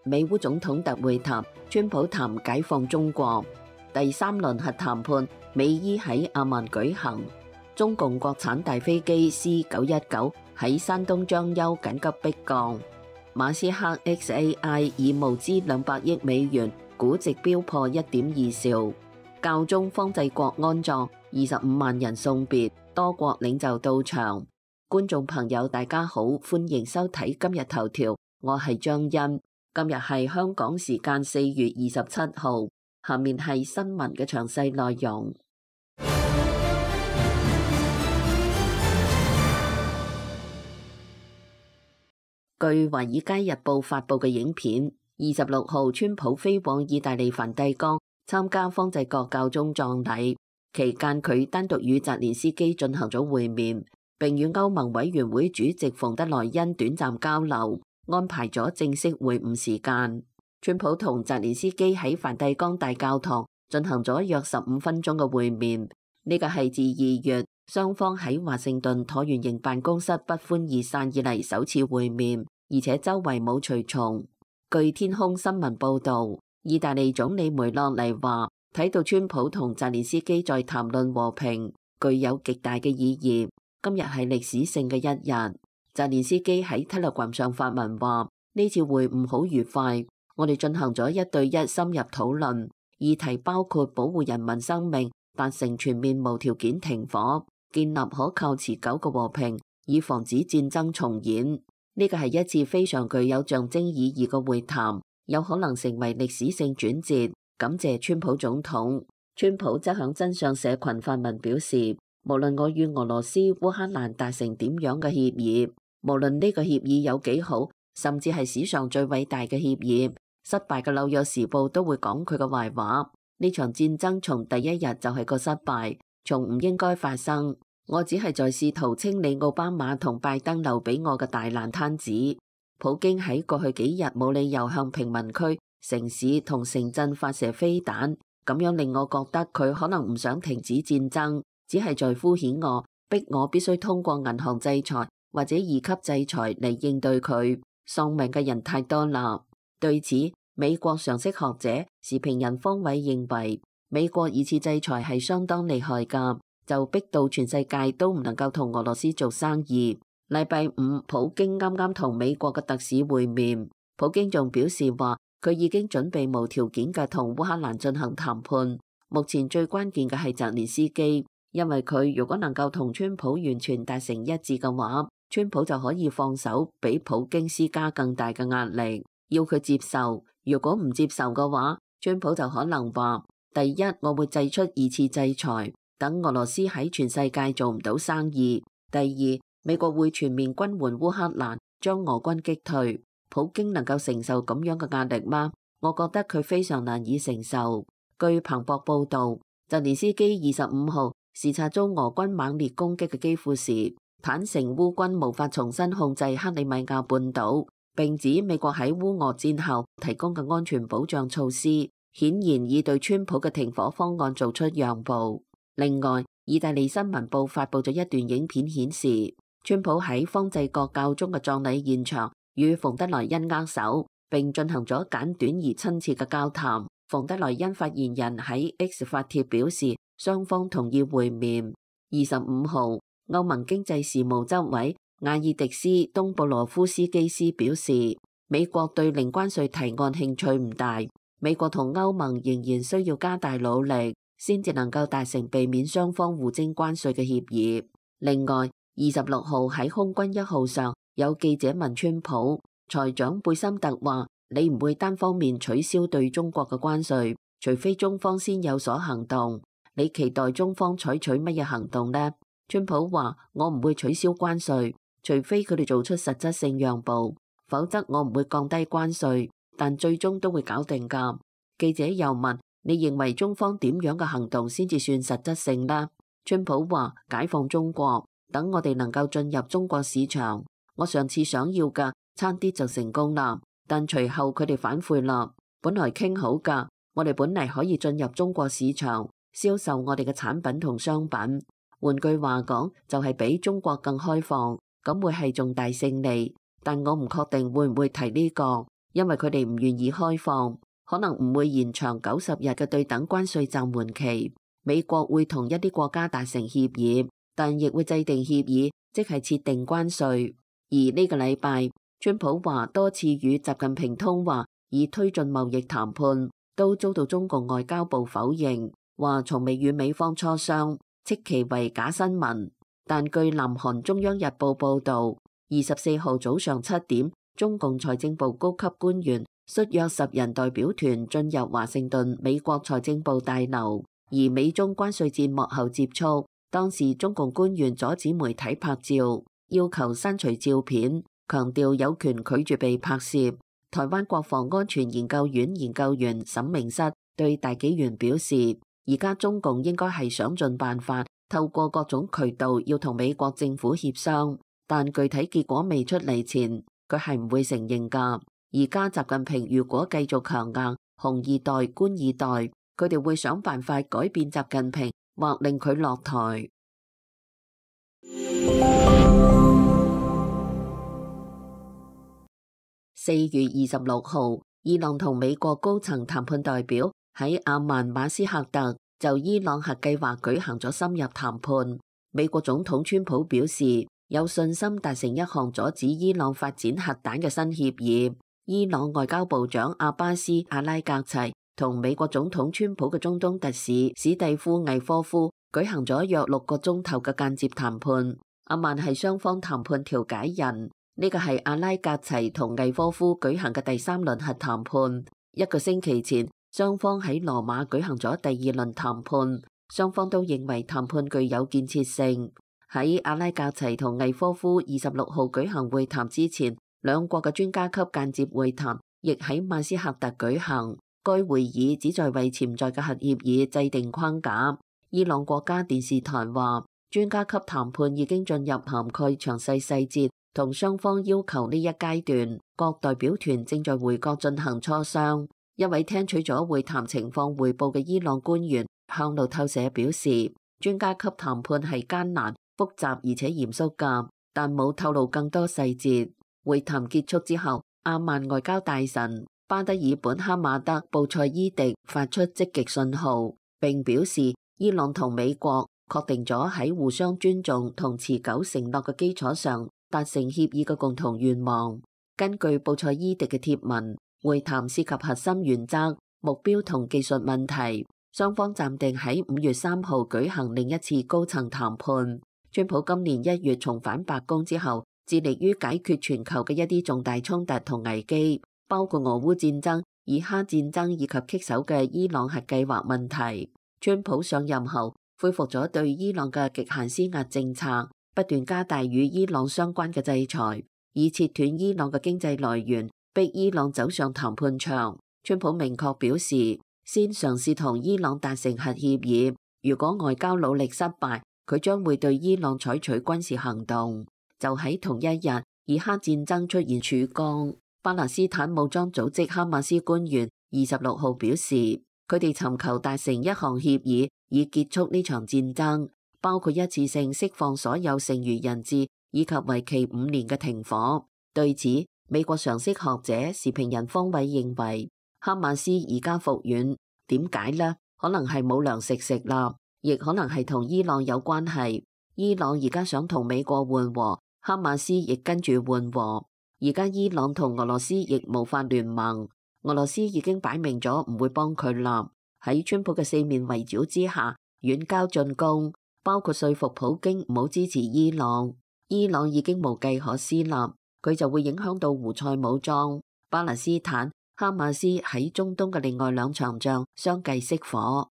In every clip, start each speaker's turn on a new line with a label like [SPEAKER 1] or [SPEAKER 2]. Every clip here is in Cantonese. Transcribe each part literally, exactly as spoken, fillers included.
[SPEAKER 1] 美烏總統特會談，川普談解放中國。第三輪核談判，美伊喺阿曼舉行。中共國產大飛機 C 九一九喺山東章丘緊急迫降。馬斯克 X A I 以募資兩百億美元，估值飆破一點二兆。教宗方濟各安葬，二十五萬人送別，多國領袖到場。觀眾朋友大家好，歡迎收睇今日頭條，我係張欣。今日係香港時間四月二十七號，下面係新聞嘅詳細內容。據《華爾街日報》發佈嘅影片，二十六號川普飛往意大利梵蒂岡參加方濟各教宗葬禮，期間佢單獨與澤連斯基進行咗會面，並與歐盟委員會主席馮德萊恩短暫交流，安排咗正式會晤時間。川普同澤連斯基喺梵蒂岡大教堂進行咗約十五分鐘嘅會面，呢個係自二月雙方喺華盛頓橢圓形辦公室不歡而散以嚟首次會面，而且周圍冇隨從。據天空新聞報導，意大利總理梅洛尼話：睇到川普同澤連斯基在談論和平，具有極大嘅意義。今日係歷史性嘅一日。澤連斯基喺 Telegram 上發文話：呢次會晤好愉快，我哋進行咗一對一深入討論，議題包括保護人民生命、達成全面無條件停火、建立可靠持久嘅和平，以防止戰爭重演。呢個係一次非常具有象徵意義嘅會談，有可能成為歷史性轉折。感謝川普總統。川普則響真相社群發文表示：無論我與俄羅斯、烏克蘭達成點樣嘅協議，無論呢個協議有幾好，甚至係史上最偉大嘅協議，失敗嘅紐約時報都會講佢嘅壞話。呢場戰爭從第一日就係個失敗，從唔應該發生。我只係在試圖清理奧巴馬同拜登留俾我嘅大爛攤子。普京喺過去幾日冇理由向平民區、城市同城鎮發射飛彈，咁樣令我覺得佢可能唔想停止戰爭，只係在敷衍我，逼我必須通過銀行制裁或者二級制裁嚟應對佢。喪命嘅人太多啦。對此，美國常識學者時評人方偉認為，美國二次制裁係相當厲害㗎，就逼到全世界都唔能夠同俄羅斯做生意。禮拜五，普京啱啱同美國嘅特使會面，普京仲表示話佢已經準備無條件嘅同烏克蘭進行談判。目前最關鍵嘅係澤連斯基，因為佢如果能夠同川普完全達成一致嘅話，川普就可以放手俾普京施加更大嘅壓力，要佢接受。如果唔接受嘅話，川普就可能話：第一，我會祭出二次制裁，等俄羅斯喺全世界做唔到生意；第二，美國會全面軍援烏克蘭，將俄軍擊退。普京能夠承受咁樣嘅壓力嗎？我覺得佢非常難以承受。據彭博報導，澤連斯基二十五號視察遭俄軍猛烈攻擊嘅基輔時，坦承烏軍無法重新控制克里米亞半島，並指美國喺烏俄戰後提供嘅安全保障措施，顯然已對川普嘅停火方案做出讓步。另外，意大利新聞報發佈咗一段影片顯示，川普喺方濟各教宗嘅葬禮現場與馮德萊恩握手，並進行咗簡短而親切嘅交談。馮德萊恩發言人喺 X 發帖表示，雙方同意會面。二十五號，歐盟經濟事務執委亞爾迪斯東布羅夫斯基斯表示，美國對零關稅提案興趣唔大，美國同歐盟仍然需要加大努力，先至能夠達成避免雙方互徵關稅嘅協議。另外，二十六號喺空軍一號上，有記者問川普，財長貝森特話：你唔會單方面取消對中國嘅關稅，除非中方先有所行動。你期待中方採取乜嘢行動呢？川普話：我唔會取消關稅，除非佢哋做出實質性讓步，否則我唔會降低關稅，但最終都會搞定㗎。記者又問：你認為中方點樣嘅行動先至算實質性呢？川普話：解放中國，等我哋能夠進入中國市場。我上次想要嘅差啲就成功啦，但隨後佢哋反悔啦。本來傾好㗎，我哋本嚟可以進入中國市場，銷售我哋嘅產品同商品。換句話講，就係比中國更開放，咁會係重大勝利。但我唔確定會唔會提呢個。因為佢哋唔願意開放，可能唔會延長九十日嘅對等關稅暫緩期。美國會同一啲國家達成協議，但亦會制定協議，即係設定關稅。而呢個禮拜，川普話多次與習近平通話，以推進貿易談判，都遭到中共外交部否認，話從未與美方磋商，斥其為假新聞。但據南韓中央日報報導，二十四號早上七點，中共財政部高級官員率約十人代表團進入華盛頓美國財政部大樓，而美中關稅戰幕後接觸。當時中共官員阻止媒體拍照，要求刪除照片，強調有權拒絕被拍攝。台灣國防安全研究院研究員沈明室對大紀元表示，而家中共應該係想盡辦法，透過各種渠道要同美國政府協商，但具體結果未出嚟前，佢係唔會承認㗎。而家習近平如果繼續強硬紅二代、官二代，佢哋會想辦法改變習近平，或令佢落台。四月二十六號，伊朗同美國高層談判代表喺阿曼馬斯克特就伊朗核計劃舉行咗深入談判。美國總統川普表示有信心達成一項阻止伊朗發展核彈嘅新協議。伊朗外交部長阿巴斯·阿拉格齊同美國總統川普嘅中東特使史蒂夫·魏科夫舉行咗約六個鐘頭嘅間接談判。阿曼係雙方談判調解人。呢個係阿拉格齊同魏科夫舉行嘅第三輪核談判。一個星期前，雙方喺羅馬舉行咗第二輪談判，雙方都認為談判具有建設性。喺阿拉格齊同魏科夫二十六號舉行會談之前，兩國嘅專家級間接會談亦喺馬斯克特舉行。該會議旨在為潛在嘅核協議制定框架。伊朗國家電視台話，專家級談判已經進入涵蓋詳細細節同雙方要求呢一階段，各代表團正在回國進行磋商。一位聽取咗會談情況彙報嘅伊朗官員向路透社表示，專家級談判係艱難、複雜而且嚴肅㗎，但冇透露更多細節。會談結束之後，阿曼外交大臣巴德爾本哈馬德布塞伊迪發出積極信號，並表示伊朗同美國確定咗喺互相尊重同持久承諾嘅基礎上達成協議嘅共同願望。根據布塞伊迪嘅貼文，會談涉及核心原則、目標同技術問題，雙方暫定喺五月三號舉行另一次高層談判。川普今年一月重返白宮之後，致力於解決全球嘅一啲重大衝突同危機，包括俄烏戰爭、以哈戰爭以及棘手嘅伊朗核計劃問題。川普上任後恢復咗對伊朗嘅極限施壓政策，不斷加大與伊朗相關嘅制裁，以切斷伊朗嘅經濟來源，逼伊朗走上談判場。川普明確表示，先嘗試同伊朗達成核協議，如果外交努力失敗，佢將會對伊朗採取軍事行動。就喺同一日，以哈戰爭出現曙光。巴勒斯坦武裝組織哈馬斯官員二十六號表示，佢哋尋求達成一項協議，以結束呢場戰爭，包括一次性釋放所有剩餘人質，以及為期五年嘅停火。對此，美國常識學者時評人方偉認為，哈馬斯而家復軟，點解呢？可能係冇糧食食啦，亦可能係同伊朗有關係。伊朗而家想同美國緩和，哈馬斯亦跟住緩和。而家伊朗同俄羅斯亦無法聯盟，俄羅斯已經擺明咗唔會幫佢啦。喺川普嘅四面圍剿之下，遠交進攻，包括說服普京唔好支持伊朗。伊朗已經無計可施啦，佢就會影響到胡塞武裝、巴勒斯坦、哈馬斯喺中東嘅另外兩場仗相繼熄火。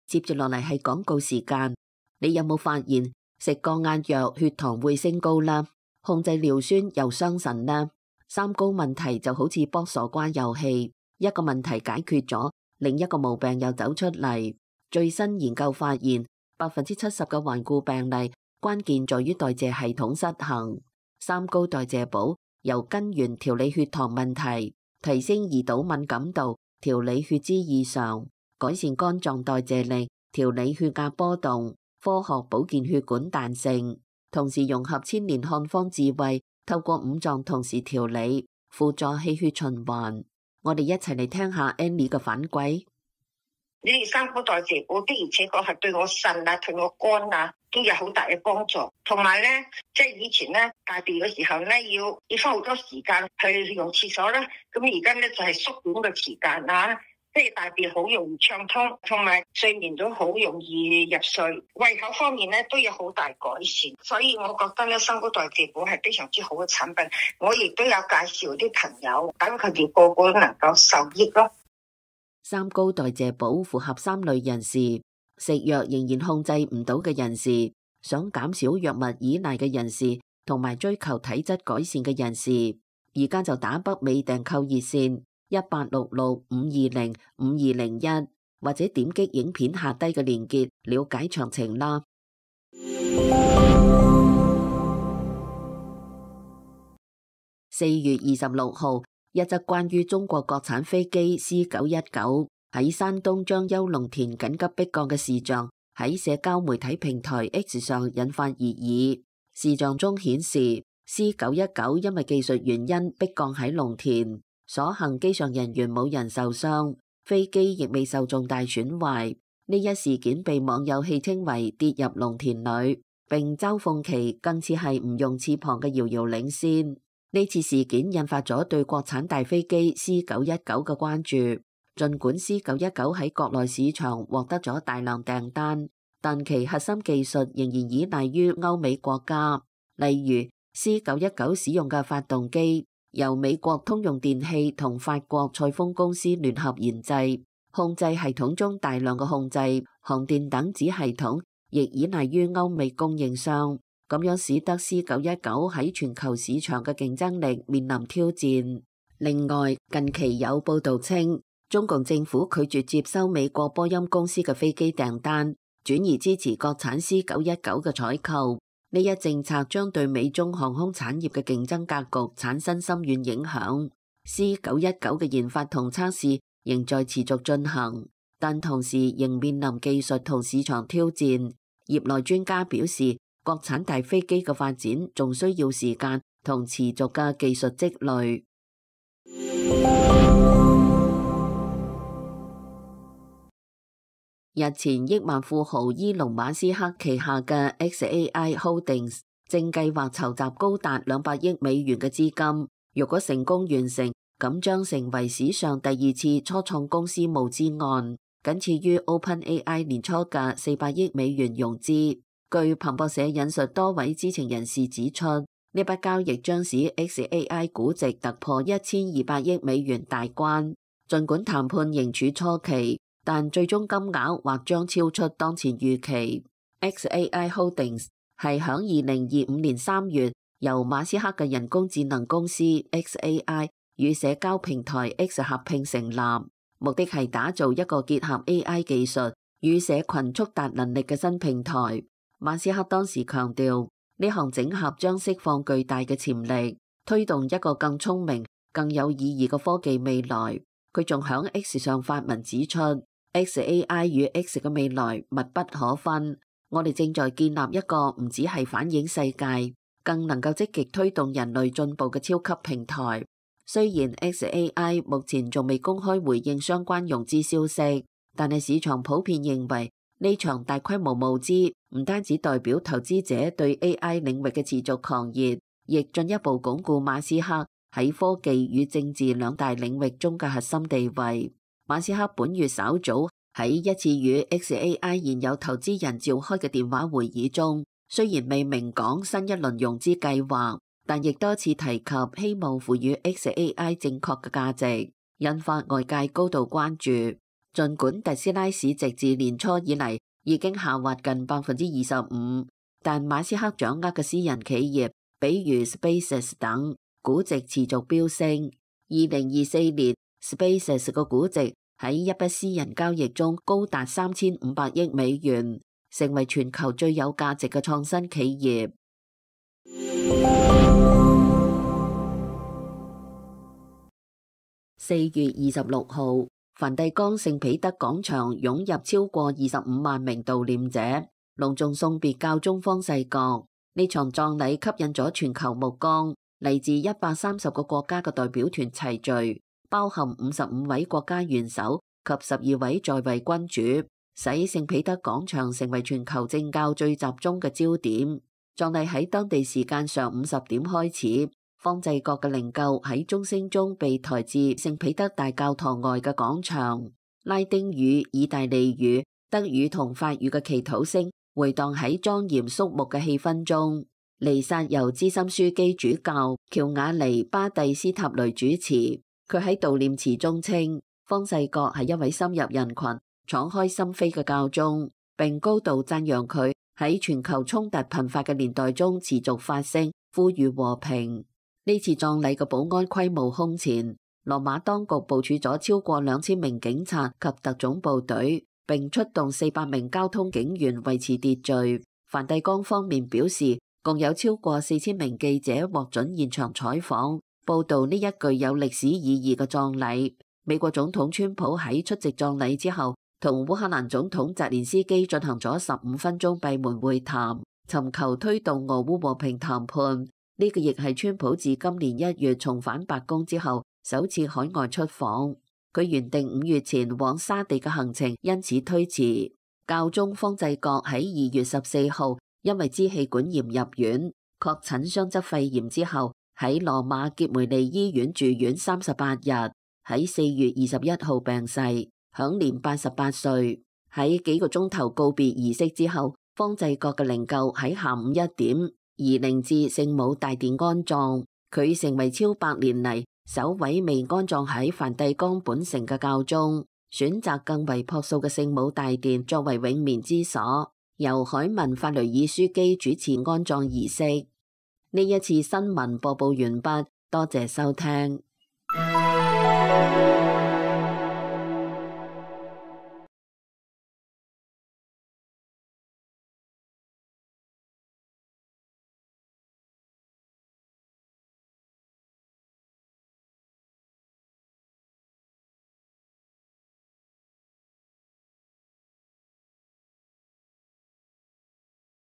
[SPEAKER 1] 接住落嚟係廣告時間，你有冇發現食降壓藥血糖會升高啦？控制尿酸又傷腎啦？三高問題就好似卜傻瓜遊戲，一個問題解決咗，另一個毛病又走出嚟。最新研究發現，百分之七十嘅頑固病例關鍵在於代謝系統失衡。三高代謝補由根源調理血糖問題，提升胰島敏感度，調理血脂異常，改善肝臟代謝力，調理血壓波動，科學保健血管彈性。同時融合千年漢方智慧，透過五臟同時調理，輔助氣血循環。我哋一齊嚟聽下 Annie 嘅反饋。
[SPEAKER 2] 你哋三高代謝補的而且確係對我腎啊、對我肝啊都有好大嘅幫助。同埋咧，即係以前咧大便嘅時候咧，要要花好多時間去用廁所啦。咁而家咧就係縮短嘅時間啊，即係大便好容易暢通，同埋睡眠都好容易入睡。胃口方面咧都有好大改善，所以我覺得咧三高代謝補係非常之好嘅產品。我亦都有介紹啲朋友，等佢哋個個都能夠受益咯。
[SPEAKER 1] 三高代謝補符合三類人士：食藥仍然控制唔到嘅人士，想減少藥物依賴嘅人士，同埋追求體質改善嘅人士。而家就打北美訂購熱線一八六六五二零五二零一，或者點擊影片下低嘅連結了解詳情啦。四月二十六號。一則關於中國國產飛機 C 九一九喺山東將邱農田緊急迫降嘅視像喺社交媒體平台 X 上引發熱議。視像中顯示 C 九一九因為技術原因迫降喺農田，所幸機上人員冇人受傷，飛機亦未受重大損壞。呢一事件被網友戲稱為跌入農田裏，並嘲諷其更似係唔用翅膀嘅遙遙領先。呢次事件引發咗對國產大飛機 C 九一九嘅關注。儘管 C 九一九喺國內市場獲得咗大量訂單，但其核心技術仍然依賴於歐美國家。例如 C 九一九使用嘅發動機由美國通用電氣同法國賽豐公司聯合研製，控制系統中大量嘅控制、航電等子系統亦依賴於歐美供應商。咁樣使得 C 九一九喺全球市場嘅競爭力面臨挑戰。另外，近期有報道稱，中共政府拒絕接收美國波音公司嘅飛機訂單，轉而支持國產 C 九一九嘅採購。呢一政策將對美中航空產業嘅競爭格局產生深遠影響。C 九一九嘅研發同測試仍在持續進行，但同時仍面臨技術同市場挑戰。業內專家表示，國產大飛機嘅發展仲需要時間同持續嘅技術積累。日前，億萬富豪伊隆馬斯克旗下嘅 X A I Holdings 正計劃籌集高達兩百億美元嘅資金，如果成功完成，咁將成為史上第二次初創公司募資案，僅次於 OpenAI 年初嘅四百億美元融資。據彭博社引述多位知情人士指出，呢筆交易將使 X A I 估值突破一千二百億美元大關。儘管談判仍處初期，但最終金額或將超出當前預期。X A I Holdings 係響二零二五年三月由馬斯克嘅人工智能公司 X A I 與社交平台 X 合併成立，目的係打造一個結合 A I 技術與社群觸達能力嘅新平台。馬斯克當時強調，呢項整合將釋放巨大嘅潛力，推動一個更聰明、更有意義嘅科技未來。佢仲響 X 上發文指出， X A I 與 X 嘅未來密不可分。我哋正在建立一個唔只係反映世界，更能夠積極推動人類進步嘅超級平台。雖然 X A I 目前仲未公開回應相關融資消息，但係市場普遍認為，呢場大規模募資唔單止代表投資者對 A I 領域嘅持續狂熱，亦進一步鞏固馬斯克喺科技與政治兩大領域中嘅核心地位。馬斯克本月稍早喺一次與 X A I 現有投資人召開嘅電話會議中，雖然未明講新一輪融資計劃，但亦多次提及希望賦予 X A I 正確嘅價值，引發外界高度關注。儘管特斯拉市值自年初以嚟已經下滑近百分之二十五，但馬斯克掌握嘅私人企業，比如 SpaceX 等，估值持續飆升。二零二四年 ，SpaceX 個估值喺一筆私人交易中高達三千五百億美元，成為全球最有價值嘅創新企業。四月二十六號。梵蒂岡聖彼得廣場湧入超過二十五萬名悼念者，隆重送別教宗方濟各。呢場葬禮吸引咗全球目光，嚟自一百三十個國家嘅代表團齊聚，包含五十五位國家元首及十二位在位君主，使聖彼得廣場成為全球政教最集中嘅焦點。葬禮喺當地時間上午十點開始，方濟各嘅靈柩喺鐘聲中被抬至聖彼得大教堂外嘅廣場。拉丁語、意大利語、德語同法語嘅祈禱聲回盪喺莊嚴肅穆嘅氣氛中。彌撒由資深樞機主教喬瓦尼巴蒂斯塔雷主持。佢喺悼念詞中稱，方濟各係一位深入人群、敞開心扉嘅教宗，並高度讚揚佢喺全球衝突頻發嘅年代中持續發聲，呼籲和平。呢次葬禮嘅保安規模空前，羅馬當局部署咗超過兩千名警察及特種部隊，並出動四百名交通警員維持秩序。梵蒂岡方面表示，共有超過四千名記者獲准現場採訪，報導呢一具有歷史意義嘅葬禮。美國總統川普喺出席葬禮之後，同烏克蘭總統澤連斯基進行咗十五分鐘閉門會談，尋求推動俄烏和平談判。呢個亦係川普自今年一月重返白宮之後首次海外出訪。佢原定五月前往沙地嘅行程因此推遲。教宗方濟各喺二月十四號因為支氣管炎入院，確診雙側肺炎之後，喺羅馬傑梅利醫院住院三十八日，喺四月二十一號病逝，享年八十八歲。喺幾個鐘頭告別儀式之後，方濟各嘅靈柩喺下午一點移靈至聖母大殿安葬。佢成為超百年嚟首位未安葬喺梵蒂岡本城嘅教宗，選擇更為樸素嘅聖母大殿作為永眠之所。由海文法雷爾樞機主持安葬儀式。呢一次新聞播報完畢，多謝收聽。